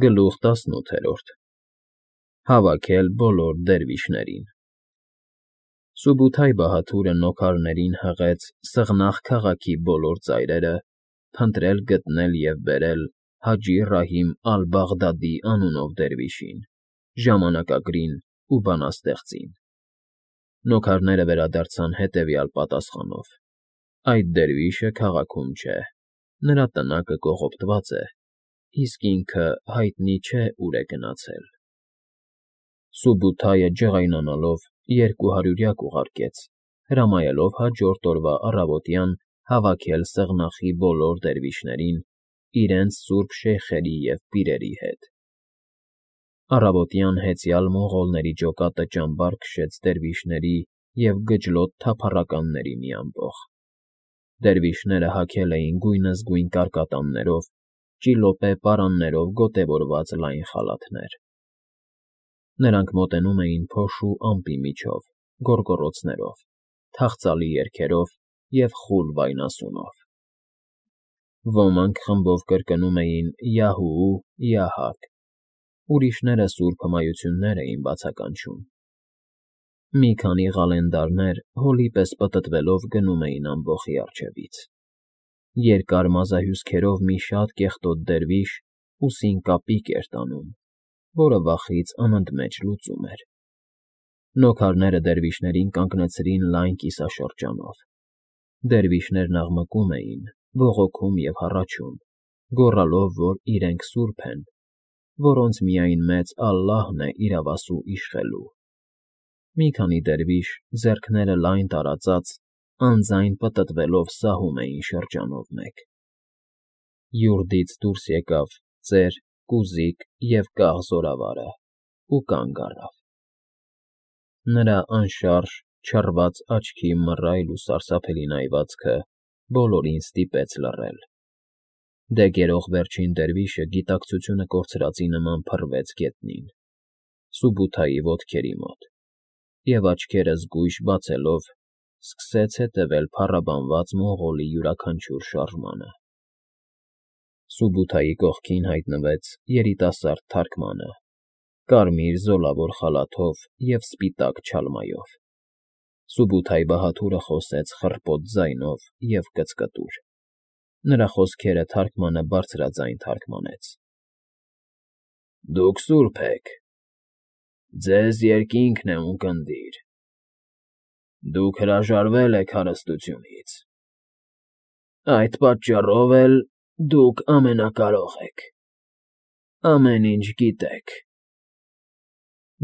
Գլուխ 18 Հավաքել բոլոր դերվիշներին։ Սուբութայ Բահաթուրը նոքարներին հղեց Սղնաղ քաղաքի բոլոր ծայրերը, փնտրել, գտնել և բերել Հաջի Ռահիմ ալ֊Բաղդադի անունով դերվիշին, ժամանակագրին ու բանաստեղծին։ Նոքարները վերադարձան հետևյալ պատասխանով. Այդ դերվիշը քաղաքում չէ, նրա տնակը կողոպտված է, իսկ ինքը հայտնի չէ ուր է գնացել։ Սուբութայը ջղայնանալով 200 ուղարկեց, հրամայելով հաջորդ օրվա առավոտյան հավաքել Սեղնախի բոլոր դերվիշներին իրենց սուրբ շեյխերի և պիրերի հետ։ Առավոտյան հեծյալ մոնղոլների ջոկատը ճամբար քշեց դերվիշների և գջլոտ թափառականների մի ամբոխ։ Դերվիշները հագել էին գույնզգույն կարկատաններով, ճիլոպե պարաններով գոտևորված լայն խալաթներ։ Նրանք մոտենում էին փոշու ամպի միջով, գոռգոռոցներով, թախծալի երգերով և խուլ վայնասունով։ Ոմանք խմբով կրկնում էին «Յահու, Յահակ», ուրիշները սուրբ հմայություններ էին բացականչում։ Մի քանի ղալենդարներ հոլի պես պտտվելով գնում էին ամբոխի առջևից։ Երկար մազահյուսքերով մի շատ կեղտոտ դերվիշ ուսին կապիկ էր տանում, որը վախից անընդմեջ լուծում էր։ Նոքարները դերվիշներին կանգնեցրին լայն կիսաշրջանով։ Դերվիշներն աղմկում էին, բողոքում և հառաչում, գոռալով, որ իրենք սուրբ են, որոնց միայն մեծ Ալլահն է իրավասու իշխելու։ Մի քանի դերվիշ, ձեռքները լայն տարածած, անձայն պտտվելով սահում էին շրջանով մեկ։ Յուրդից դուրս եկավ ծեր, կուզիկ և կաղ զորավարը ու կանգ առավ։ Նրա անշարժ, չռված աչքի մռայլ ու սարսափելի նայվածքը բոլորին ստիպեց լռել։ Դեգերող վերջին դերվիշը գիտակցությունը կորցրածի նման փռվեց գետնին, Սուբութայի ոտքերի մոտ, և աչքերը զգույշ բացելով սկսեց հետևել փառաբանված մոնղոլի յուրաքանչյուր շարժմանը։ Սուբութայի կողքին հայտնվեց երիտասարդ թարգմանը, կարմիր զոլավոր խալաթով և սպիտակ չալմայով։ Սուբութայ Բահաթուրը խոսեց խռպոտ ձայնով և կծկտուր։ Նրա խոսքերը թարգմանը բարձրաձայն թարգմանեց. Դուք սուրբ եք, ձեզ երկինքն է ունկնդիր, դուք հրաժարվել եք հարստությունից, այդ պատճառով էլ դուք ամենակարող եք, ամեն ինչ գիտեք։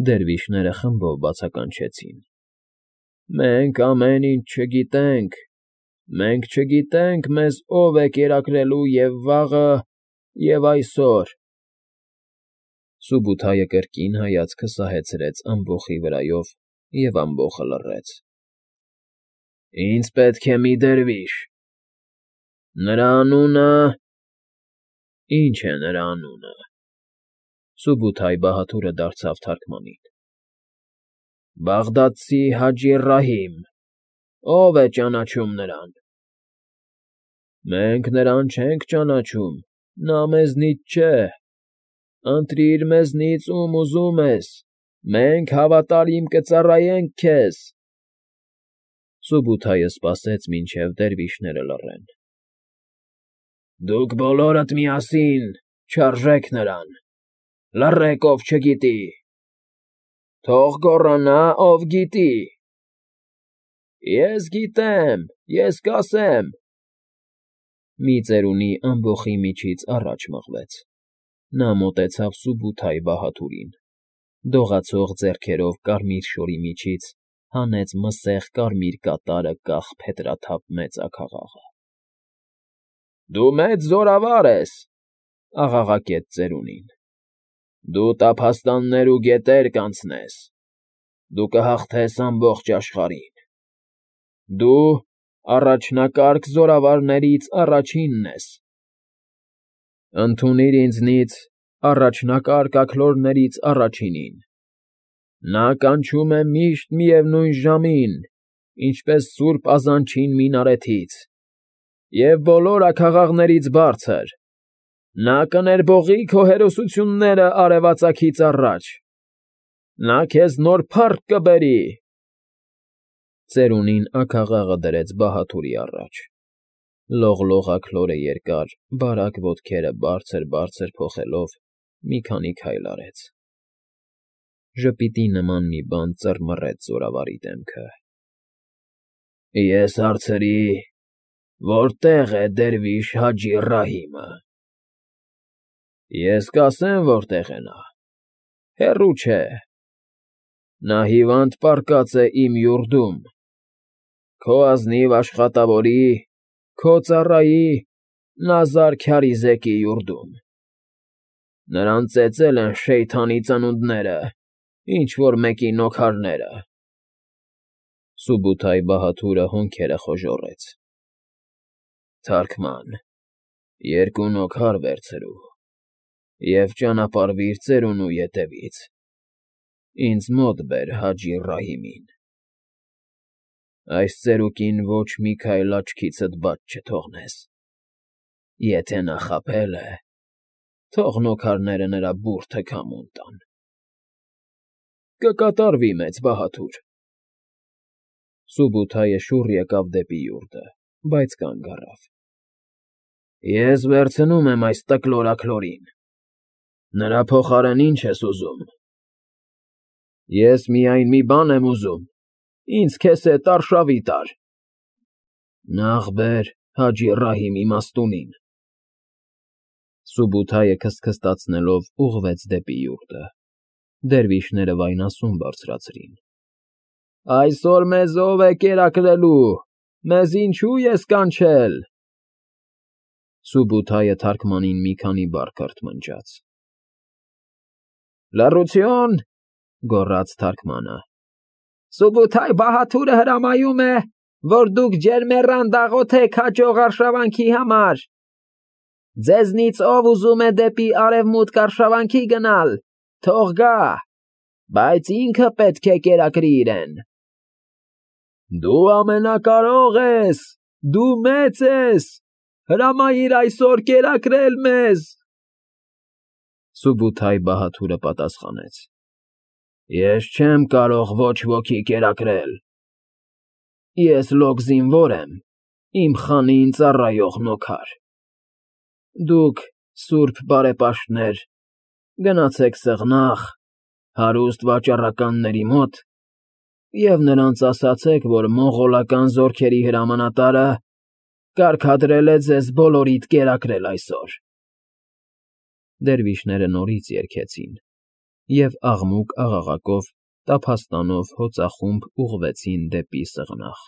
Դերվիշները խմբով բացականչեցին. Մենք ամեն ինչ չգիտենք, մենք չգիտենք մեզ ով է կերակրելու և վաղը, և այսօր։ Սուբութայը կրկին հայացքը սահեցրեց ամբոխի վրայով, և ամբոխը լռեց։ Ինձ պետք է մի դերվիշ։ Նրա անունը… Ինչ է նրա անունը։ Սուբութայ Բահաթուրը դարձավ թարգմանին։ Բաղդադցի Հաջի Ռահիմ, ո՞վ է ճանաչում նրան։ Մենք նրան չենք ճանաչում, նա մեզնից չէ։ Ընտրիր մեզնից, ում ուզում ես, մենք հավատարիմ կծառայենք քեզ։ Սուբութայը սպասեց, մինչև դերվիշները լռեն։ Դուք բոլորդ միասին չարժեք նրան, լռեք, ով չգիտի, թող գոռանա, ով գիտի։ Ես գիտեմ, ես կասեմ։ Մի ծերունի ամբոխի միջից առաջ մղվեց։ Նա մոտեցավ Սուբութայ Բահաթուրին, դողացող ձեռքերով կարմիր շորի միջից հանեց մսեղ կարմիր կատարը կախ փետրաթափ մեծ աքաղաղը։ Դու մեծ զորավար ես, աղաղակեց ծերունին։ Դու տափաստաններ ու գետեր կանցնես, դու կհաղթես ամբողջ աշխարհին։ Դու առաջնակարգ զորավարներից առաջինն ես։ Ընդունիր ինձնից առաջնակարգ աքլորներից առաջինին։ Նա կանչում է միշտ միևնույն ժամին, ինչպես սուրբ ազանչին մինարեթից, և բոլոր աքաղաղներից բարձր։ Նա կներբողի քո հերոսությունները արևածագից առաջ, նա քեզ նոր փառք կբերի։ Ծերունին աքաղաղը դրեց Բահաթուրի առաջ, լողլողակ լորը երկար, բարակ ոտքերը բարձր փոխելով մի քանի քայլ արեց։ Ժպիտի նման մի բան ծռմռեց զորավարի դեմքը։ Ես հարցրի. որտե՞ղ է դերվիշ Հաջի Ռահիմը։ Ես կասեմ որտեղ է նա, հեռու չէ, նա հիվանդ պառկած է իմ յուրդում, քո ազնիվ աշխատավորի, քո ծառայի Նազար Քարիզեկի յուրդում։ Նրան ծեծել են Շեյթանի ծնունդները, ինչ֊որ մեկի նոքարները։ Սուբութայ Բահաթուրը հոնքերը խոժոռեց։ Թարգման, երկու նոքար վերցրու և ճանապարհվիր ծերունու ետևից, ինձ մոտ բեր Հաջի Ռահիմին։ Այս ծերուկին ոչ մի քայլ աչքիցդ բաց չթողնես, եթե նա խաբել է, թող նոքարները նրա բուրդը քամուն տան։ Կկատարվի, մեծ բահաթուր։ Սուբութայը շուռ եկավ դեպի յուրտը, բայց կանգ առավ։ Ես վերցնում եմ այս տկլորաքլորին, նրա փոխարեն ինչ ես ուզում։ Ես միայն մի բան եմ ուզում, ինձ քեզ հետ արշավի տար։ Նախ բեր Հաջի Ռահիմի մաստունին։ Սուբութայը քստքստացնելով ուղղվեց դեպի յուրտը։ Դերվիշները վայնասուն բարձրացրին։ Այսօր մեզ ո՞վ է կերակրելու, մեզ ինչու ես կանչել։ Սուբութայը թարգմանին մի քանի բառ քրթմնջաց։ Լռություն, գոռաց թարգմանը։ Սուբութայ Բահաթուրը հրամայում է, որ դուք ջերմեռան դաղոթեք հաջող արշավանքի համար։ Ձեզնից ով ուզում է դեպի արևմուտք արշավանքի գնալ, թող գա, բայց ինքը պետք է կերակրի իրեն։ Դու ամենակարող ես, դու մեծ ես, հրամայիր այսօր կերակրել մեզ։ Սուբութայ Բահաթուրը պատասխանեց. Ես չեմ կարող ոչ ոքի կերակրել։ Ես լոկ զինվոր եմ, իմ խանին ծառայող նոքար։ Դուք, սուրբ բարեպաշտներ, գնացեք Սեղնաղ, հարուստ վաճառականների մոտ և նրանց ասացեք, որ մոնղոլական զորքերի հրամանատարը կարգադրել է ձեզ բոլորիդ կերակրել այսօր։ Դերվիշները նորից երգեցին և աղմուկ աղաղակով, տափաստանով հոծախումբ ուղղվեցին դեպի Սեղնաղ։